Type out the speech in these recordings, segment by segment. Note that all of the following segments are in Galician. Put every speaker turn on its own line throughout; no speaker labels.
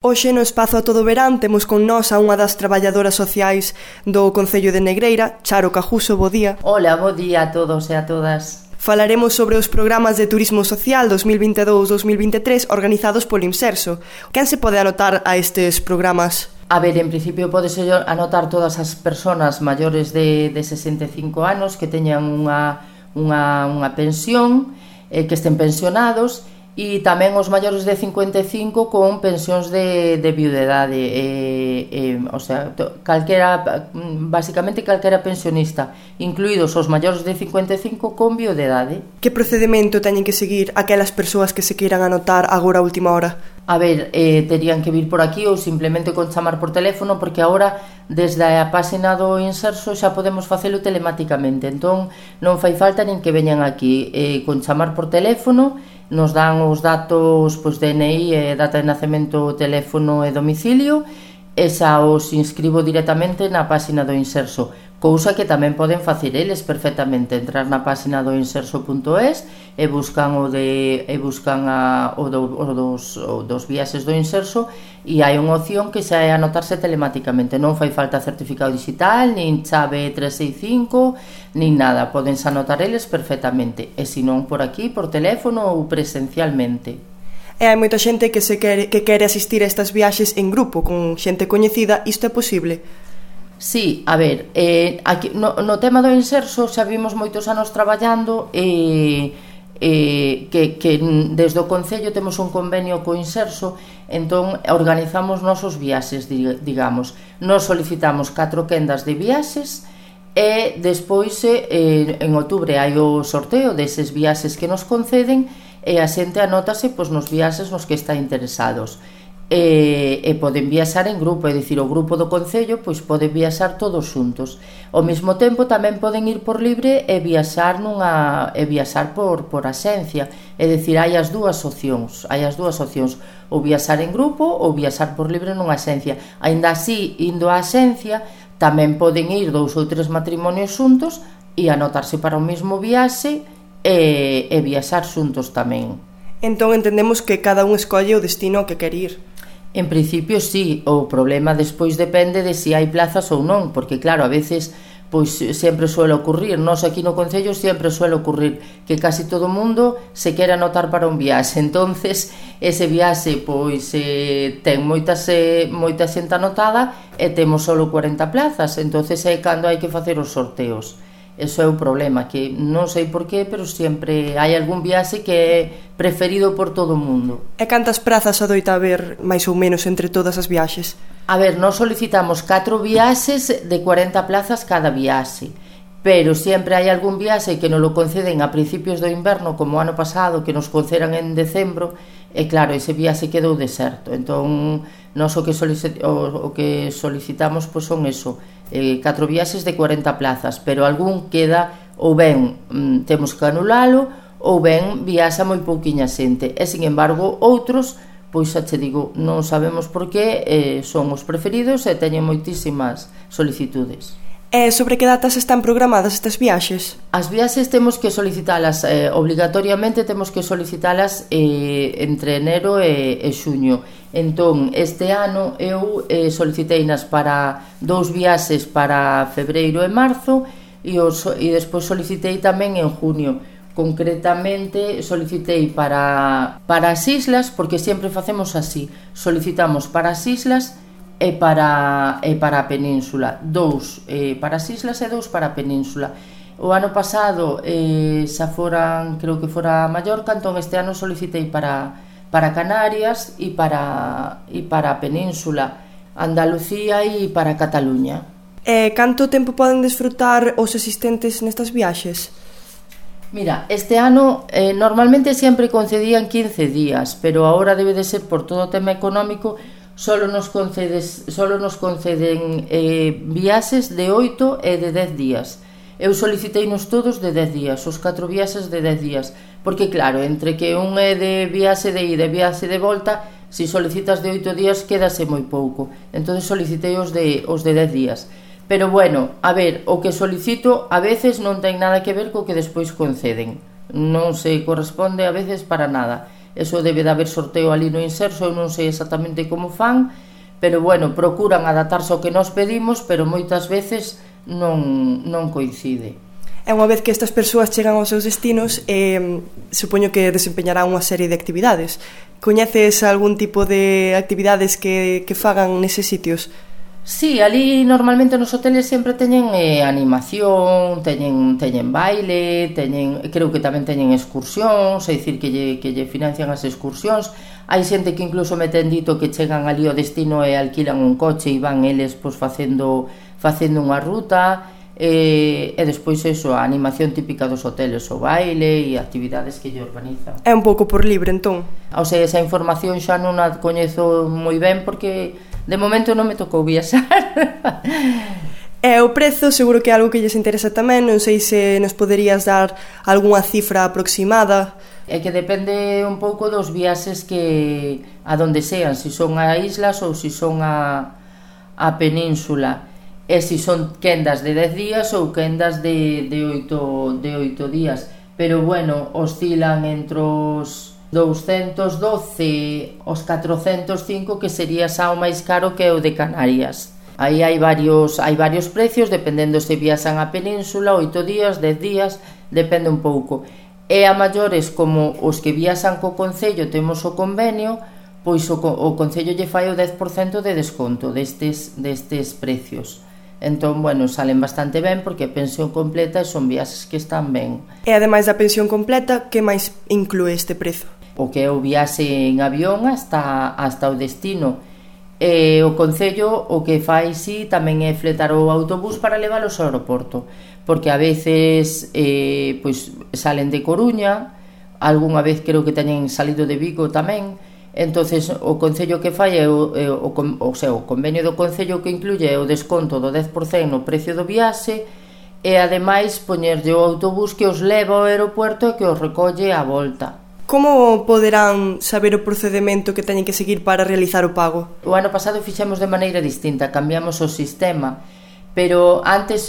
Hoxe no espazo A Todo Verán temos con nós a unha das traballadoras sociais do Concello de Negreira, Charo Cajuso, bo día.
Hola, bo día a todos e a todas.
Falaremos sobre os programas de turismo social 2022-2023 organizados polo Imserso. Quen se pode anotar a estes programas?
A ver, en principio podese anotar todas as persoas maiores de 65 anos que teñan unha pensión, que estén pensionados, e tamén os maiores de 55 con pensións de viudedade, o sea, basicamente calquera pensionista, incluídos os maiores de 55 con viudedade.
Que procedimento teñen que seguir aquelas persoas que se queiran anotar agora a última hora?
A ver, terían que vir por aquí ou simplemente con chamar por teléfono, porque agora desde a páxina do Inserso xa podemos facelo telematicamente, entón non fai falta nin que veñan aquí, con chamar por teléfono nos dan os datos, pois, DNI, data de nacemento, teléfono e domicilio, e xa os inscribo directamente na páxina do Inserso, cousa que tamén poden facer eles perfectamente, entrar na páxina do inserso.es e buscan o dos viaxes do Inserso, e hai unha opción que xa é anotarse telematicamente, non fai falta certificado digital, nin chave 365, nin nada, podense anotar eles perfectamente, e se non por aquí, por teléfono ou presencialmente.
E hai moita xente que quere asistir a estas viaxes en grupo, con xente coñecida, isto é posible?
Sí, a ver, aquí, no tema do Inserso xa vimos moitos anos traballando que desde o Concello temos un convenio co Inserso, entón organizamos nosos viaxes, digamos. Nos solicitamos 4 quendas de viaxes e despois en outubro hai o sorteo deses viaxes que nos conceden e a xente anótase pois, nos viaxes nos que está interesados. E poden viaxar en grupo, é dicir, o grupo do Concello pois pode viaxar todos xuntos. Ao mesmo tempo tamén poden ir por libre e viaxar por axencia, é dicir, hai as dúas opcións, ou viaxar en grupo ou viaxar por libre nunha axencia. Aínda así, indo á axencia, tamén poden ir 2 ou 3 matrimonios xuntos e anotarse para o mesmo viaxe e viaxar xuntos tamén.
Entón entendemos que cada un escolle o destino que quer ir.
En principio sí, o problema despois depende de se hai plazas ou non, porque claro, a veces pois sempre suele ocurrir, nós aquí no Concello sempre suele ocurrir que casi todo o mundo se quere anotar para un viaxe, entonces ese viaxe pois ten moita xente anotada e temos só 40 plazas, entonces é cando hai que facer os sorteos. Eso é o problema, que non sei por qué, pero sempre hai algún viaxe que é preferido por todo o mundo.
E cantas prazas adoita haber, máis ou menos, entre todas as viaxes?
A ver, nós solicitamos 4 viaxes de 40 plazas cada viaxe, pero sempre hai algún viaxe que nos lo conceden a principios do inverno, como o ano pasado, que nos concedan en decembro, e claro, ese viaxe quedou deserto. Entón, nós o que solicitamos pois son eso, 4 viaxes de 40 plazas, pero algún queda, ou ben temos que anulalo, ou ben viaxa moi pouquiña xente, e sin embargo outros, pois xa che digo, non sabemos por que son os preferidos e teñen moitísimas solicitudes.
E sobre que datas están programadas estas viaxes?
As viaxes temos que solicitalas obligatoriamente, temos que solicitalas entre enero e xuño. Entón, este ano eu soliciteinas para 2 viaxes para febreiro e marzo e despois solicitei tamén en junio. Concretamente solicitei para as islas, porque sempre facemos así, solicitamos para as islas e para a península, 2 para as islas e 2 para a península. O ano pasado xa foran, creo que fora Mallorca, entón este ano solicitei para Canarias e para a península, Andalucía e para Cataluña.
E canto tempo poden desfrutar os asistentes nestas viaxes?
Mira, este ano normalmente sempre concedían 15 días, pero agora debe de ser por todo o tema económico. Solo nos conceden viaxes de 8 e de 10 días. Eu soliciteinos todos de 10 días, os 4 viaxes de 10 días, porque claro, entre que un é de viaxe de ida e viaxe de volta, se solicitas de 8 días quedase moi pouco, entón solicitei os de 10 días. Pero bueno, a ver, o que solicito a veces non ten nada que ver co que despois conceden, non se corresponde a veces para nada. eso debe de haber sorteo ali no Inserso, eu non sei exactamente como fan, pero bueno, procuran adaptarse ao que nos pedimos, pero moitas veces non coincide.
E unha vez que estas persoas chegan aos seus destinos, supoño que desempeñarán unha serie de actividades. Coñeces algún tipo de actividades que fagan neses sitios?
Sí, ali normalmente nos hoteles sempre teñen animación, teñen baile, creo que tamén teñen excursións, é dicir que lle financian as excursións. Hai xente que incluso me ten dito que chegan ali ao destino e alquilan un coche e van eles pois facendo unha ruta, e despois eso, a animación típica dos hoteles, o baile e actividades que lle organizan.
É un pouco por libre, entón?
O sea, esa información xa non a coñezo moi ben porque de momento non me tocou viaxar.
E o prezo seguro que é algo que lles interesa tamén. Non sei se nos poderías dar algunha cifra aproximada.
É que depende un pouco dos viaxes que a donde sean, se son a islas ou se son a península, e se son quendas de 10 días ou quendas de 8 días, pero bueno, oscilan entre os 212 os 405, que sería xa o máis caro, que é o de Canarias. Aí hai varios precios, dependendo se viaxan a península, 8 días, 10 días, depende un pouco. E a maiores, como os que viaxan co Concello, temos o convenio, pois o Concello lle fai o 10% de desconto destes precios. Entón, bueno, salen bastante ben porque a pensión completa son viaxes que están ben.
E ademais da pensión completa, que máis inclúe este prezo?
O que é o viaxe en avión hasta o destino. E o Concello o que fai si tamén é fletar o autobús para leválos ao aeroporto, porque a veces pois salen de Coruña, algunha vez creo que teñen salido de Vigo tamén. Entonces o Concello que fai é o convenio do Concello que incluye o desconto do 10% no precio do viaxe, e ademais poñerlle o autobús que os leva ao aeropuerto e que os recolle á volta.
Como poderán saber o procedemento que teñen que seguir para realizar o pago?
O ano pasado fixemos de maneira distinta, cambiamos o sistema, pero antes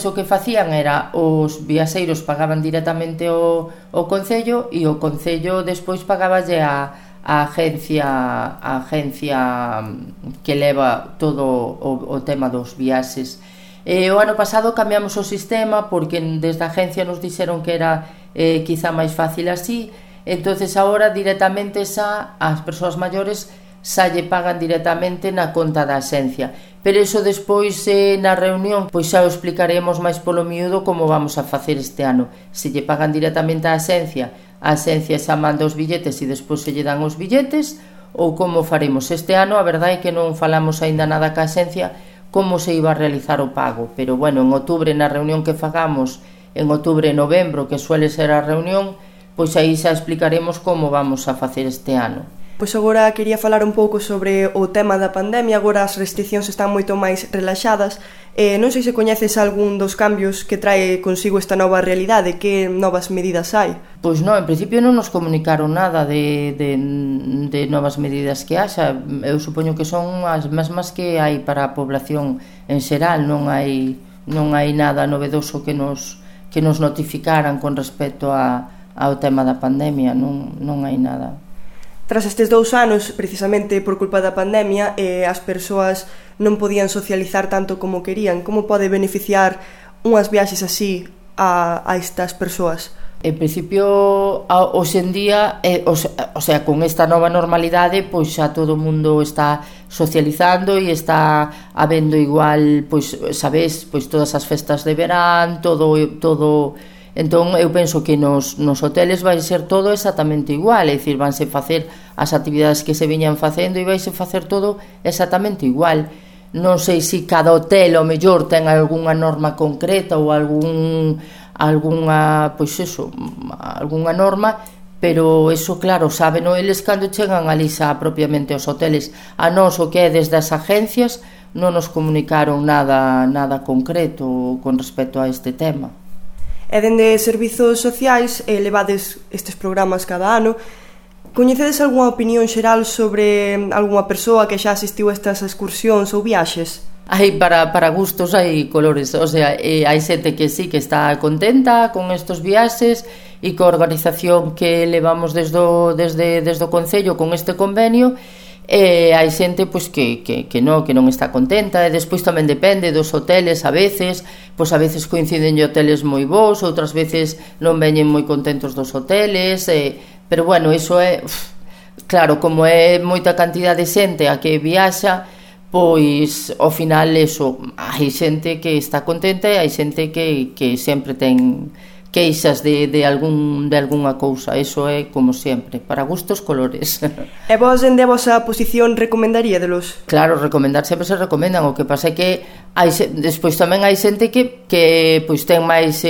o que facían era os viaxeiros pagaban directamente o Concello, e o Concello despois pagaballe a agencia que leva todo o tema dos viaxes. O ano pasado cambiamos o sistema porque desde a agencia nos dixeron que era quizá máis fácil así. Entonces agora directamente as persoas maiores xa lle pagan directamente na conta da axencia, pero iso despois na reunión pois xa o explicaremos máis polo miúdo como vamos a facer este ano. Se lle pagan directamente á axencia, a axencia xa manda os billetes e despois se lle dan os billetes, ou como faremos este ano. A verdade é que non falamos aínda nada ca axencia como se iba a realizar o pago, pero bueno, en outubro, na reunión que fagamos en outubro e novembro, que suele ser a reunión, pois aí xa explicaremos como vamos a facer este ano.
Pois agora quería falar un pouco sobre o tema da pandemia. Agora as restriccións están moito máis relaxadas. Non sei se coñeces algún dos cambios que trae consigo esta nova realidade. Que novas medidas hai?
Pois non, en principio non nos comunicaron nada de novas medidas que haxa. Eu supoño que son as mesmas que hai para a población en xeral. Non hai nada novedoso que nos notificaran con respecto ao tema da pandemia. Non hai nada.
Tras estes 2 anos, precisamente por culpa da pandemia, as persoas non podían socializar tanto como querían. Como pode beneficiar unhas viaxes así a estas persoas?
En principio, hoxe en día, o sea, con esta nova normalidade, pois xa todo o mundo está socializando e está habendo igual, pois, sabes, pois todas as festas de verán, todo. Entón, eu penso que nos hoteles vai ser todo exactamente igual, é dicir, vanse facer as actividades que se viñan facendo e vaise facer todo exactamente igual. Non sei se cada hotel, ao mellor, ten algunha norma concreta ou algunha norma, pero eso, claro, sábeno eles cando chegan ali xa propiamente aos hoteles. A nós, o que é desde as agencias, non nos comunicaron nada concreto con respecto a este tema.
E dende servizos sociais levades estes programas cada ano. Coñecedes algunha opinión xeral sobre algunha persoa que xa asistiu a estas excursións ou viaxes?
hai para gustos, hai colores, o sea, hai xente que sí que está contenta con estos viaxes e coa organización que levamos desde o Concello con este convenio, hai xente pois, que non está contenta, e despois tamén depende dos hoteles, a veces coinciden hoteles moi bons, outras veces non veñen moi contentos dos hoteles, pero bueno, iso é claro, como é moita cantidad de xente a que viaxa, pois ao final eso, hai xente que está contenta e hai xente que sempre ten queixas de algunha cousa. Eso é como sempre, para gustos colores.
E vos, dende a vosa posición, recomendaríadelos?
Claro, recomendar sempre se recomendan. O que pasa é que despois tamén hai xente que pois ten máis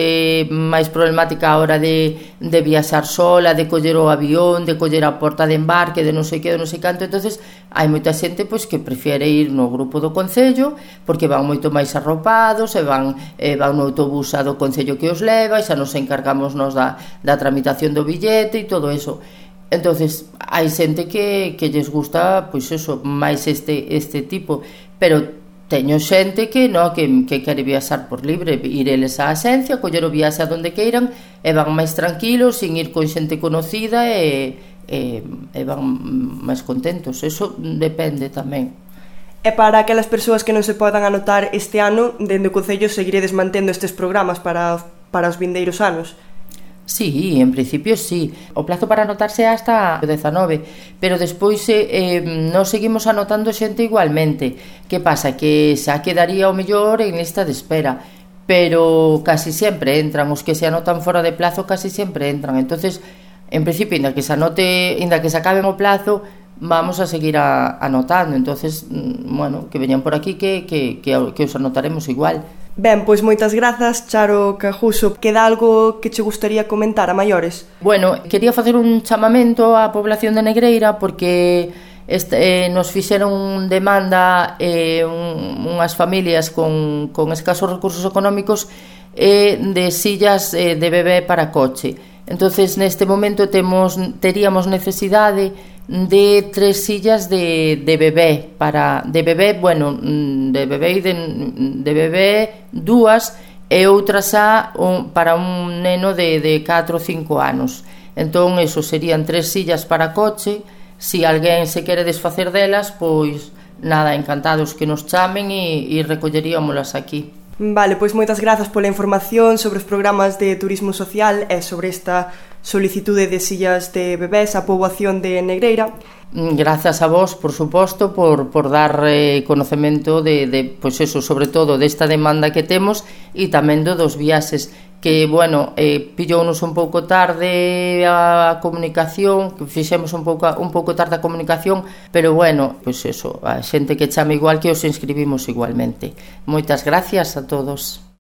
problemática a hora de viaxar sola, de coller o avión, de coller a porta de embarque, de non sei que, de non sei canto. Entonces hai moita xente pois que prefiere ir no grupo do Concello porque van moito máis arropados e van no autobús do Concello que os leva, e xa nos encargamos nos da tramitación do billete e todo eso. Entonces hai xente que lles gusta pois eso, máis este tipo, pero teño xente que quere viaxar por libre, ir eles á axencia, coller o viaxe a donde queiran e van máis tranquilos, sin ir con xente conocida, e van máis contentos. Eso depende tamén.
E para aquelas persoas que non se podan anotar este ano, dende o Concello seguiredes mantendo estes programas para os vindeiros anos?
Sí, en principio sí. O plazo para anotarse é hasta o 19, pero despois nos seguimos anotando xente igualmente. Que pasa? Que xa quedaría o mellor en lista de espera, pero casi sempre entran. Os que se anotan fora de plazo casi sempre entran. Entonces, en principio, inda que se acabe o plazo, vamos a seguir anotando. Entonces, bueno, que veñan por aquí que os anotaremos igual.
Ben, pois moitas grazas, Charo Cajuso. Queda algo que che gustaría comentar a maiores?
Bueno, quería facer un chamamento á población de Negreira porque nos fixeron demanda unhas familias con escasos recursos económicos de sillas de bebé para coche. Entonces, neste momento teríamos necesidade de 3 sillas de bebé de bebé 2 e outras para un neno de 4 ou 5 anos. Entón, eso serían 3 sillas para coche. Si alguén se quere desfacer delas, pois nada, encantados que nos chamen e recolleríamolas aquí.
Vale, pois moitas grazas pola información sobre os programas de turismo social e sobre esta solicitude de sillas de bebés á poboación de Negreira.
Grazas a vos, por suposto, por dar conocemento pois eso, sobre todo desta demanda que temos e tamén dos viaxes, que, bueno, pillounos un pouco tarde a comunicación, que fixemos un pouco tarde a comunicación, pero, bueno, pois eso, a xente que chame igual, que os inscribimos igualmente. Moitas gracias a todos.